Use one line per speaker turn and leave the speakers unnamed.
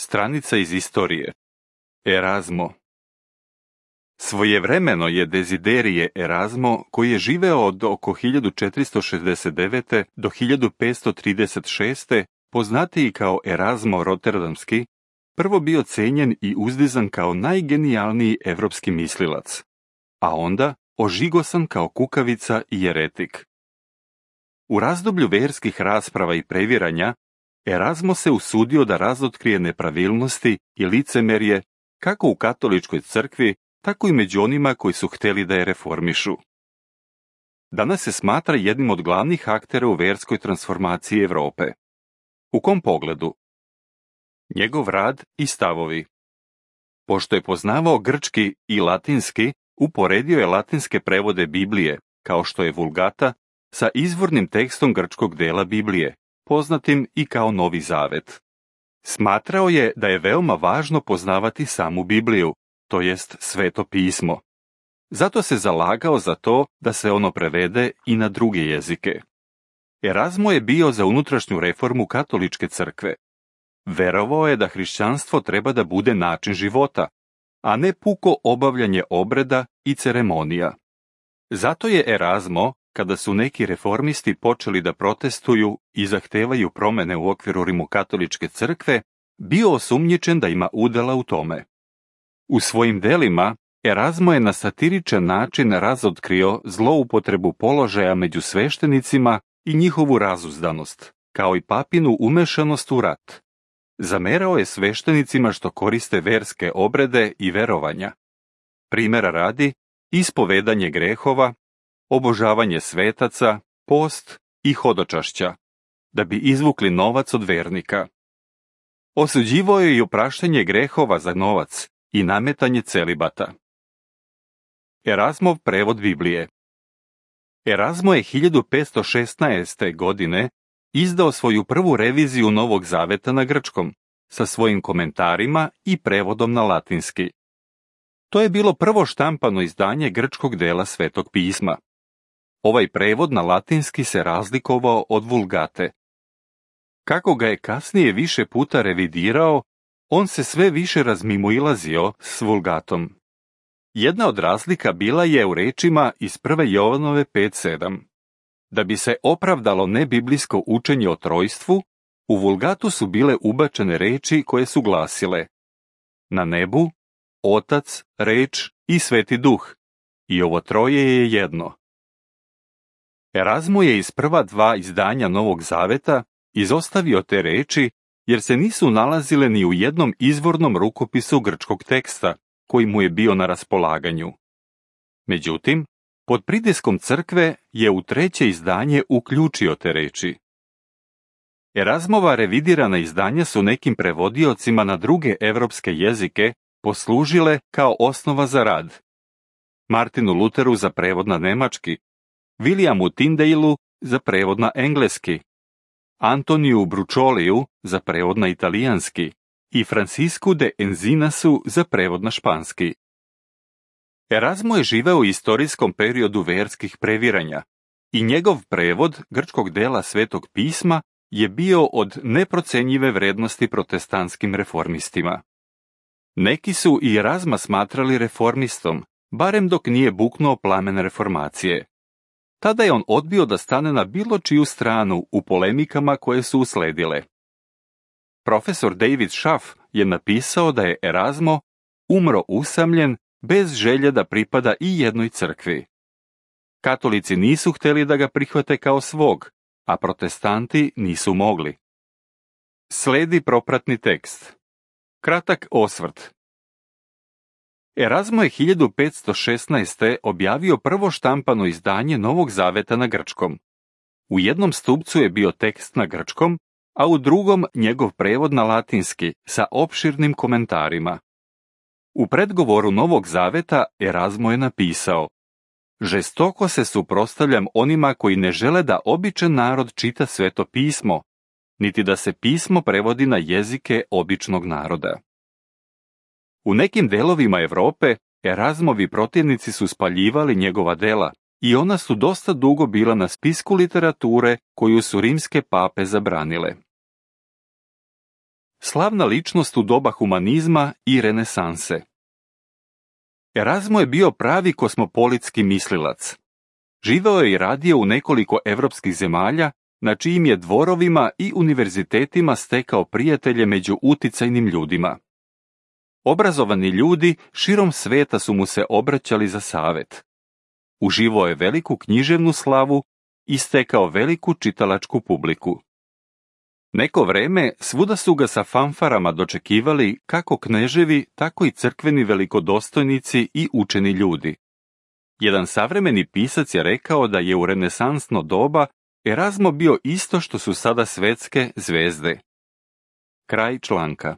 Stranica iz istorije. Erazmo. Svojevremeno je Desiderije Erazmo, koji je živeo od oko 1469. do 1536. poznatiji kao Erazmo Rotterdamski, prvo bio cijenjen i uzdizan kao najgenijalniji evropski mislilac, a onda ožigosan kao kukavica i jeretik. U razdoblju verskih rasprava i previranja, Erazmo se usudio da razotkrije nepravilnosti i licemerje kako u katoličkoj crkvi, tako i među onima koji su htjeli da je reformišu. Danas se smatra jednim od glavnih aktera u verskoj transformaciji Europe. U kom pogledu? Njegov rad i stavovi. Pošto je poznavao grčki i latinski, uporedio je latinske prevode Biblije, kao što je Vulgata, sa izvornim tekstom grčkog dela Biblije, poznatim i kao Novi Zavet. Smatrao je da je veoma važno poznavati samu Bibliju, to jest Sveto pismo. Zato se zalagao za to da se ono prevede i na druge jezike. Erazmo je bio za unutrašnju reformu katoličke crkve. Verovao je da hrišćanstvo treba da bude način života, a ne puko obavljanje obreda i ceremonija. Zato je Erazmo, kada su neki reformisti počeli da protestuju i zahtevaju promene u okviru rimokatoličke crkve, bio osumnjičen da ima udela u tome. U svojim delima, Erazmo je na satiričan način razotkrio zloupotrebu položaja među sveštenicima i njihovu razuzdanost, kao i papinu umešanost u rat. Zamerao je sveštenicima što koriste verske obrede i verovanja. Primera radi, ispovedanje grehova, obožavanje svetaca, post i hodočašća, da bi izvukli novac od vernika. Osuđivao je i opraštanje grehova za novac i nametanje celibata. Erazmov prevod Biblije. Erazmo je 1516. godine izdao svoju prvu reviziju Novog Zaveta na grčkom, sa svojim komentarima i prevodom na latinski. To je bilo prvo štampano izdanje grčkog dela Svetog pisma. Ovaj prevod na latinski se razlikovao od Vulgate. Kako ga je kasnije više puta revidirao, on se sve više razmimoilazio s Vulgatom. Jedna od razlika bila je u rečima iz 1. Jovanove 5.7. Da bi se opravdalo nebiblijsko učenje o trojstvu, u Vulgatu su bile ubačene reči koje su glasile: na nebu, Otac, Reč i Sveti Duh, i ovo troje je jedno. Erazmo je iz prva dva izdanja Novog Zaveta izostavio te reči jer se nisu nalazile ni u jednom izvornom rukopisu grčkog teksta koji mu je bio na raspolaganju. Međutim, pod pritiskom crkve je u treće izdanje uključio te reči. Erazmova revidirana izdanja su nekim prevodiocima na druge evropske jezike poslužile kao osnova za rad. Martinu Luteru za prevod na nemački, Williamu Tyndaleu za prevod na engleski, Antoniju Bručoliju za prevod na italijanski i Francisku de Enzinasu za prevod na španski. Erazmo je živeo u istorijskom periodu verskih previranja i njegov prevod grčkog dela Svetog pisma je bio od neprocenjive vrednosti protestantskim reformistima. Neki su i Erazma smatrali reformistom, barem dok nije buknuo plamen reformacije. Tada je on odbio da stane na bilo čiju stranu u polemikama koje su usledile. Profesor David Schaff je napisao da je Erazmo umro usamljen bez želje da pripada i jednoj crkvi. Katolici nisu htjeli da ga prihvate kao svog, a protestanti nisu mogli. Sledi propratni tekst. Kratak osvrt. Erazmo je 1516. objavio prvo štampano izdanje Novog Zaveta na grčkom. U jednom stupcu je bio tekst na grčkom, a u drugom njegov prevod na latinski sa opširnim komentarima. U predgovoru Novog Zaveta Erazmo je napisao: žestoko se suprotstavljam onima koji ne žele da običan narod čita Sveto pismo, niti da se pismo prevodi na jezike običnog naroda. U nekim delovima Europe Erazmovi protivnici su spaljivali njegova dela i ona su dosta dugo bila na spisku literature koju su rimske pape zabranile. slavna ličnost u doba humanizma i renesanse. Erasmo je bio pravi kosmopolitski mislilac. Živeo je i radio u nekoliko evropskih zemalja, na čijim je dvorovima i univerzitetima stekao prijatelje među uticajnim ljudima. Obrazovani ljudi širom sveta su mu se obraćali za savjet. Uživao je veliku književnu slavu i stekao veliku čitalačku publiku. Neko vreme svuda su ga sa fanfarama dočekivali kako kneževi, tako i crkveni velikodostojnici i učeni ljudi. Jedan savremeni pisac je rekao da je u renesansno doba Erasmo bio isto što su sada svetske zvezde. Kraj članka.